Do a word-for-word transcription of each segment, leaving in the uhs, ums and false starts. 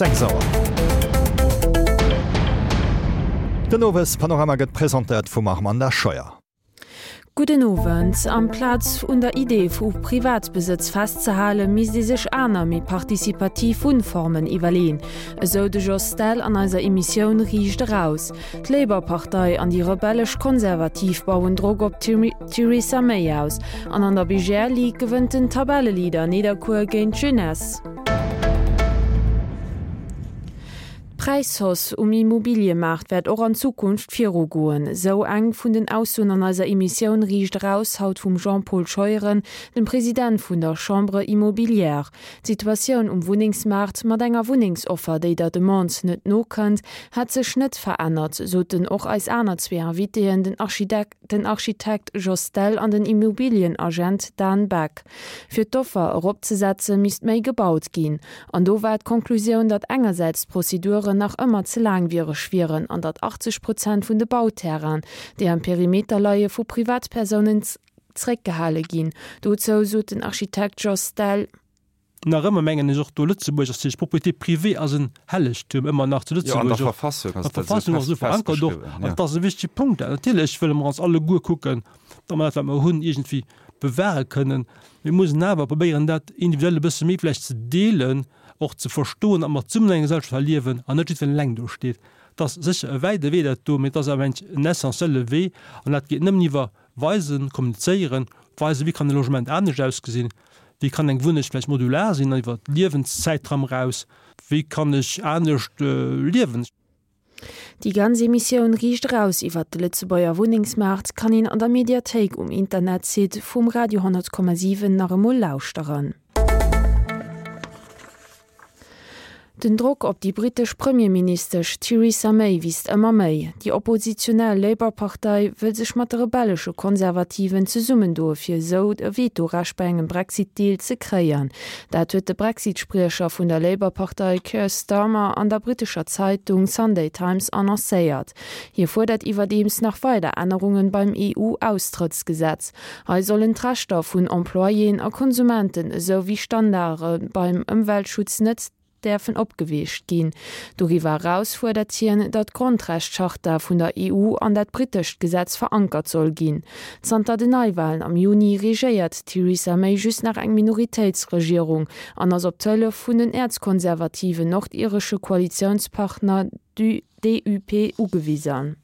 sechs Auer. Den Owespanorama gëtt presentéiert vum Armanda Scheuer. Gudden Owend. Amplaz un der Idee vu Privatbesëtz festzehalen, misst ee sech aner, méi participativ Wunnformen iwwerleeën, esou de Jos Dell an eiser Emissioun Riicht Eraus. D'Labour-Partei an déi rebellesch Konservativ bauen Drock op d'Theresa May aus an an der B G L Ligue gewënnt den Tabelleleader Nidderkuer géint d'Jeunesse. D'Präishausse um Immobiliëmaart wäert och an Zukunft virugoen, sou eng vun den Aussoen an eiser Emissioun Riicht Eraus haut vum Jean-Paul Scheuren, dem President vun der Chambre Immobilière. D'Situatioun um Wunnengsmaart mat enger Wunnengsoffer, déi der Demande net nokënnt, hätt sech net verännert, soten och eis aner zwee Invitéen, den den Architekt Jos Dell an den Immobilienagent Dan Beck. Fir d'Offer eropzesetze misst méi gebaut ginn. An do war d'Konklusioun, datt engersäits d'Prozeduren nach ëmmer ze laangwiereg wieren an datt achtzeg Prozent vun de Bauterrainen, déi am Perimeter leie vu Privatpersounen zréckgehale ginn. Dozou sot den Architekt Jos Dell. Nach ëmmer mengen ech och do Lëtzebuerg ass déi Propriété privée ass en Hellegtum ëmmer nach zu Jo, an der Lëtzebuerg och. Verfassung An ass der dat esou Verfassung ass fest esou verankert och. festgeschriwwen, An ja. dat ass e wichtege Punkt. Natierlech wëlle mer ons alleguer kucken, datt mer dat wat mer hunn iergendwéi bewahre kënnen. Mir mussen awer probéieren dat individuell e bësse méi vläicht ze deelen, och ze verstoen, datt mer zesummen an enger Gesellschaft liewen an net jiddwereen eleng do steet. Dat ass sécher e wäite Wee dat do, mee et ass awer en essentielle Wee an dat geet nëmmen iwwer weisen, kommunizéieren, weisen, wéi kann e Logement anescht ausgesinn, wéi kann eng Wunneng vläicht modular sinn iwwer d'Liewenszäitraum eraus, wéi kann ech anescht liewen. Déi ganz Emissioun Riicht Eraus iwwer de Lëtzebuerger Wunnengsmaart kann een an der Mediathéik um Internetsite vum Radio honnert Komma siwen nach emol lauschteren. Den Drock op déi brittesch Premierministesch Theresa May wiisst ëmmer méi. Déi oppositionell Labour-Partei wëll sech mat de rebellesche Konservativen zesummendoe fir esou e Vetorecht bei engem Brexit-Deal ze kréien. Dat huet de Brexit-Spriecher vun der Labour-Partei Keir Starmer an der brittescher Zeitung Sunday Times annoncéiert. Hie fuerdert iwwerdeems nach weider Ännerunge beim E U-Austrëttsgesetz. Hei sollen d'Rechter vun Employéen a Konsumenten esou wéi Standarde beim Ëmweltschutz net däerfen opgeweecht ginn. Doriwwer eraus fuerdert hien, datt d'Grondrechtscharta vun der E U an dat brittescht Gesetz verankert soll ginn. Zanter den Neiwalen am Juni regéiert d'Theresa May just nach eng Minoritéitsregierung an ass op d'Hëllef vun den äerzkonservativen nordiresche Koalitiounspartner D U P ugewisen.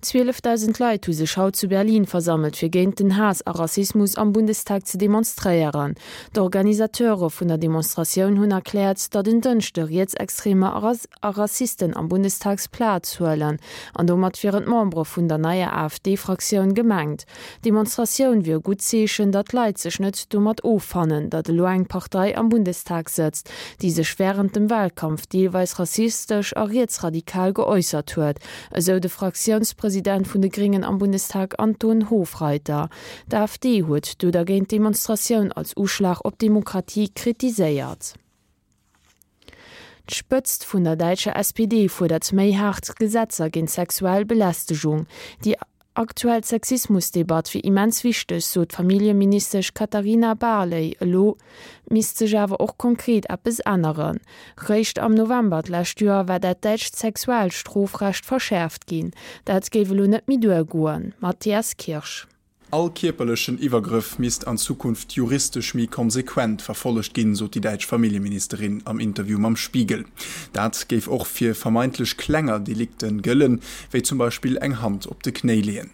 Zwielefdausend Leit hu sech haut zu Berlin versammelt, fir géint den Haass a Rassismus am Bundestag ze demonstréieren. D'Organisateure vun der Demonstratioun hunn erkläert, datt en Dënschde Rietsextremer a Rassisten am Bundestag Plaz huelen, an domat wieren d'Membere vun der neier A F D-Fraktioun gemengt. D'Demonstratioun wier e gutt Zeechen, datt d'Leit sech net domat offannen, datt elo eng Partei am Bundestag sëtzt, déi sech wärend dem Walkampf deelweis rassistesch a rietsradikal geäussert huet, esou de Fraktiounspresident vun de Gréngen am Bundestag Anton Hofreiter. D'A F D huet du dergéint d'Demonstratioun als Uschlag op d'Demokratie kritiséiert. D'Spëtzt vun der däitscher S P D fuerdert méi haart Gesetzer géint sexuell Belästegung. Déi aktuell Sexismusdebatt wier immens wichteg, sot d'Familljeministesch Katarina Barley. Elo misst sech awer och konkret eppes änneren. Réischt am November d'lescht Joer war dat däitscht Sexualstrofrecht verschäerft ginn. Dat géif elo net méi duergoen. Matthias Kirsch. All kierperlechen Iwwergrëff misst an Zukunft juristesch méi konsequent verfollegt ginn, sot déi däitsch Familljeministerin am Interview mam Spiegel. Dat géif och fir vermeintlech klenger Delikte gëllen, wéi zum Beispill eng Hand op de Knéi leeën.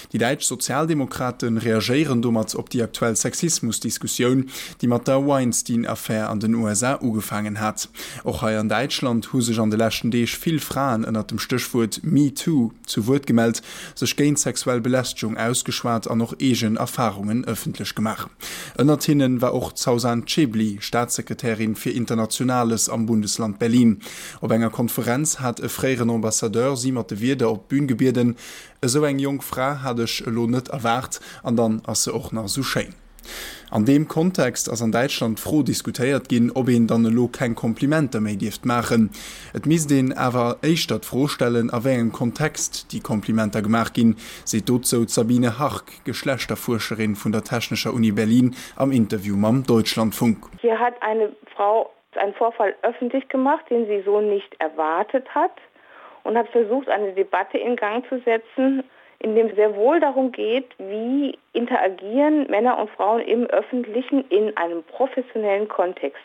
Déi däitsch Sozialdemokrate reagéieren domat op déi aktuell Sexismusdiskussioun, déi mat der Weinstein-Affär an den U S A ugefaangen hat. Och hei an Däitschland hu sech an de leschten Deeg vill Fraen ënnert dem Stéchwuert MeToo zu Wuert gemellt, sech géint sexuell Belästegung ausgeschwat an och eegen Erfarungen ëffentlech gemaach. Ënnert hinne war och d'Sawsan Chebli, Staatssekretärin fir Internationales am Bundesland Berlin. Op enger Konferenz hat e fréieren Ambassadeur si mat de Wierder op d'Bün gebieden, Esou eng jonk Fra hat ech elo net erwaart, an dann ass se och nach esou schéin. An deem Kontext ass an Däitschland d'Fro diskutéiert ginn, ob een dann elo keng Komplimenter méi dierft maachen. Et misst een awer éischter d'Fro stellen, a wéi engem Kontext déi Komplimenter gemaach ginn, seet dozou d'Sabine Hark, Geschlechterfuerscherin vun der Technescher Uni Berlin, am Interview mam Deutschlandfunk. Hier hat eine Frau einen Vorfall öffentlich gemacht, den sie so nicht erwartet hat und hat versucht, eine Debatte in Gang zu setzen, in dem sehr wohl darum geht, wie interagieren Männer und Frauen im öffentlichen in einem professionellen Kontext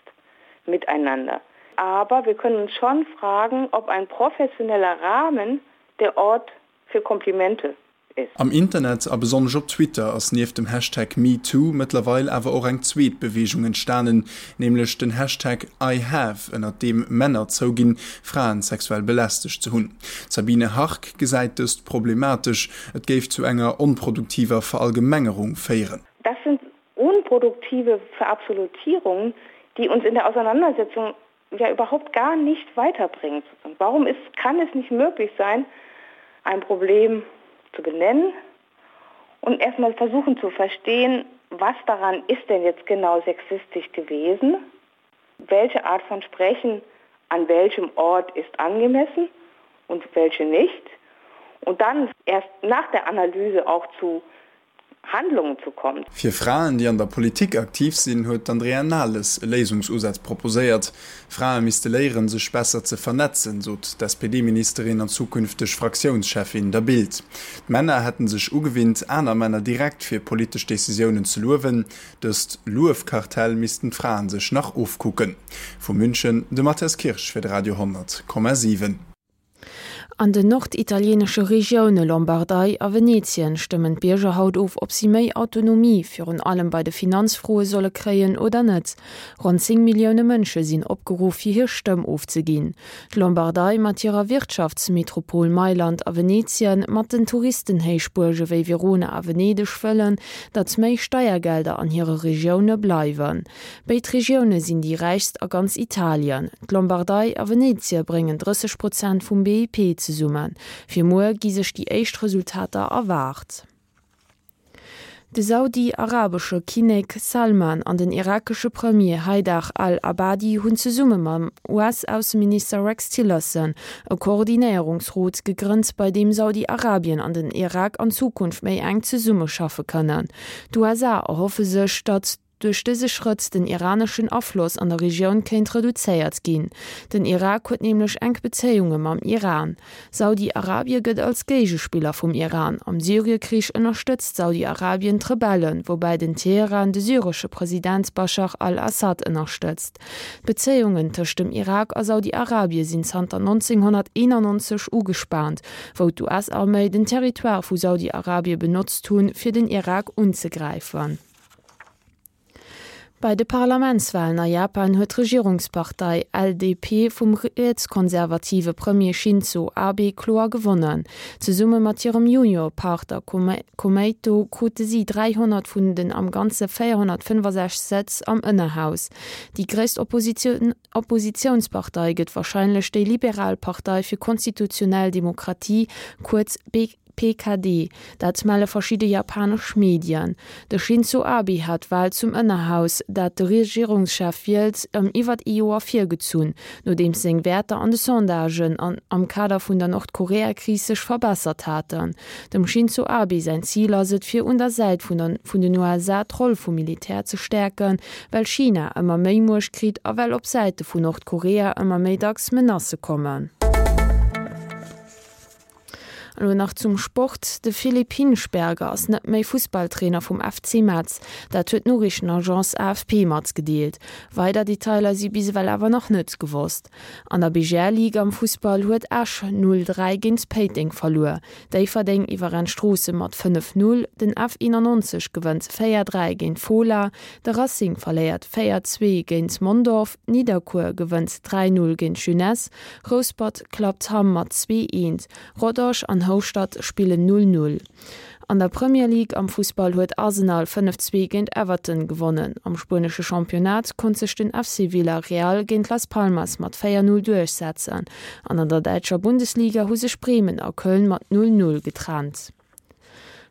miteinander. Aber wir können uns schon fragen, ob ein professioneller Rahmen der Ort für Komplimente ist. Am Internet a besonnesch op Twitter ass nieft dem Hashtag MeToo mëttlerweil awer och eng zweet Beweegung entstanen, nämlech den Hashtag IHave, ënnert deem Männer zouginn, Fraen sexuell belästegt ze hunn. D'Sabine Hark gesäit dëst problematesch, et géif zu enger onproduktiver Verallgemengerung féieren. Das sind unproduktive Verabsolutierungen, die uns in der Auseinandersetzung ja überhaupt gar nicht weiterbringt. Und warum ist, kann es nicht möglich sein, ein Problem zu benennen und erstmal versuchen zu verstehen, was daran ist denn jetzt genau sexistisch gewesen, welche Art von Sprechen an welchem Ort ist angemessen und welche nicht und dann erst nach der Analyse auch zu Handlungen zu kommen. Fir Fraen, déi an der Politik aktiv sinn, huet d'Andrea Nahles e Léisungsusaz proposéiert. Frae misste léieren, sech besser ze vernetzen, sot d'S P D-Ministerin an zukünfteg Fraktiounscheffin der Bild. D'Männer hätten sech ugewinnt, aner Männer direkt fir politesch Decisiounen ze luewen. Dëst Luefkartell missten d'Fraen sech nach ofkucken. Vu München de Matthias Kirsch fir de Radio honnert Komma siwen. An den norditalienesche Regioune Lombardei a Venetien stëmmen d'Bierger haut of, ob si méi Autonomie, virun allem bei de Finanzfroe solle kréien oder net. Ronn zéng Millioune Mënsche sinn opgeruff, fir hir Stëmm ofzeginn. D'Lombardei mat hirer Wirtschaftsmetropol Mailand a Venetien mat den Touristenhéichbuerge wéi Verona a Venedeg wëllen, datt méi Steiergelder an hire Regioune bleiwen. Béid Regioune sinn déi räichst a ganz Italien. D'Lombardei a Venetie bréngen drësseg Prozent vum B I P zesummen. Fir muer gi sech déi éischt Resultater erwaart. De saudi-arabesche Kinnek Salman an den irakesche Premier Haidar al-Abadi hunn zesumme mam U S-Ausseminister Rex Tillerson e Koordinéierungsrot gegrënnt, bei deem Saudi-Arabien an den Irak an Zukunft méi enk zesummeschaffe kënnen. D'U S A erhoffe sech, datt duerch dëse Schrëtt den iraneschen Afloss an der Regioun kéint reduzéiert ginn. Den Irak huet nämlech enk Bezéiunge mam Iran. Saudi-Arabie gëtt als Géigespiller vum Iran. Am Syrienkrich ënnerstëtzt Saudi-Arabien d'Rebellen, woubäi den Teheran de syresche President Bashar al-Assad ënnerstëtzt. D'Bezéiungen tëscht dem Irak a Saudi-Arabie sinn zanter neunzehnhunderteinundneunzeg ugespaant, wou d'U S-Arméi den Territoire vu Saudi-Arabie benotzt hunn, fir den Irak unzegräifen. Bei de Parlamentswahlen a Japan huet d'Regierungspartei L D P vum rietskonservative Premier Shinzo Abe kloer gewonnen. Zesumme mat hirem Juniorpartner Kome-, Komeito krute si dreihundert vun den am ganze véierhunnertfënnefosechzeg Sëtz am Ënnerhaus. Déi gréisst Opposition, Oppositionspartei gëtt wahrscheinlech déi Liberalpartei fir konstitutionell Demokratie, kuerz B P K D, dat melle verschiedene japanesch Medien. De Shinzo Abe hat Wahl zum Ënnerhaus, dat de Regierungschef wielt, ëm iwwer e Joer virgezunn, nodeem seng Wäerter an de Sondagen an, am Kader vun der Nordkorea-Kris sech verbessert haten. Dem Shinzo Abe sein Ziel ass et fir un der Säit vun den, vun den U S A d'Roll vum Militär ze stärken, well China ëmmer méi Muecht kritt a well op Säite vun Nordkorea ëmmer méi dacks Menacë kommen. Elo nach zum Sport. De Philipp Hinschberger ass net méi Fußballtrainer vum F C Metz. Dat huet d'Noriichtenagence A F P matgedeelt. Weider Detailer si bis ewell awer nach net gewosst. An der B G L-Liga am Fußball huet Esch null dräi géint Péiteng verluer. Déifferdeng iwwerrennt Stroosse mat fënnef null, den F einundneunzeg gewënnt véier dräi géint Fola, de Racing verléiert véier zwee géint Mondorf, Nidderkuer gewënnt dräi null géint Jeunesse, Rouspert klappt Hamm mat zwee eent, Rodange an Houstadt spillen null null. An der Premier League am Fußball huet Arsenal fënnef zwee géint Everton gewonnen. Am spuenesche Championnat konnt sech den F C Villarreal géint Las Palmas mat véier null duerchsetzen. An an der däitscher Bundesliga hu sech Bremen a Köln mat null null getrennt.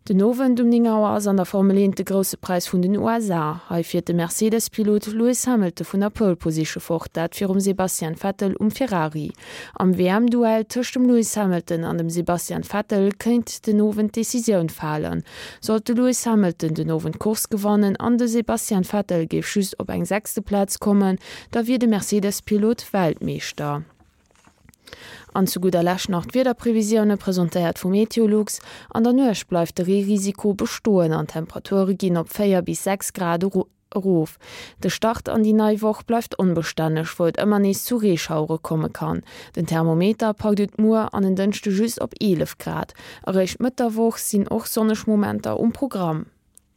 Den Owend um néng Auer ass an der Formel eent de Grousse Präis vun den U S A. Hei fiert de Mercedes-Pilot Lewis Hamilton vun der Pole Position fort, dat virum Sebastian Vettel um Ferrari. Am W M-Duell tëscht dem Lewis Hamilton an dem Sebastian Vettel kéint den Owend d'Decisioun falen. Sollt de Lewis Hamilton den Owend d'Course gewannen an de Sebastian Vettel géif just op eng sechste Plaz kommen, da wier de Mercedes-Pilot Weltmeeschter. An zu gudder Lescht nach d'Wiederprevisioune presentéiert vu Meteolux. An der Nuecht bleift de Reerisiko bestoen an d'Temperature ginn op véier bis sechs Grad erof. De Start an déi nei Woch bleift onbestänneg, wou et ëmmer nees zu Reeschauere komme kann. Den Thermometer packt et muer an en Dënschde just op eelef Grad. Eréischt Mëtt der Woch sinn och sonneg Momenter um Programm.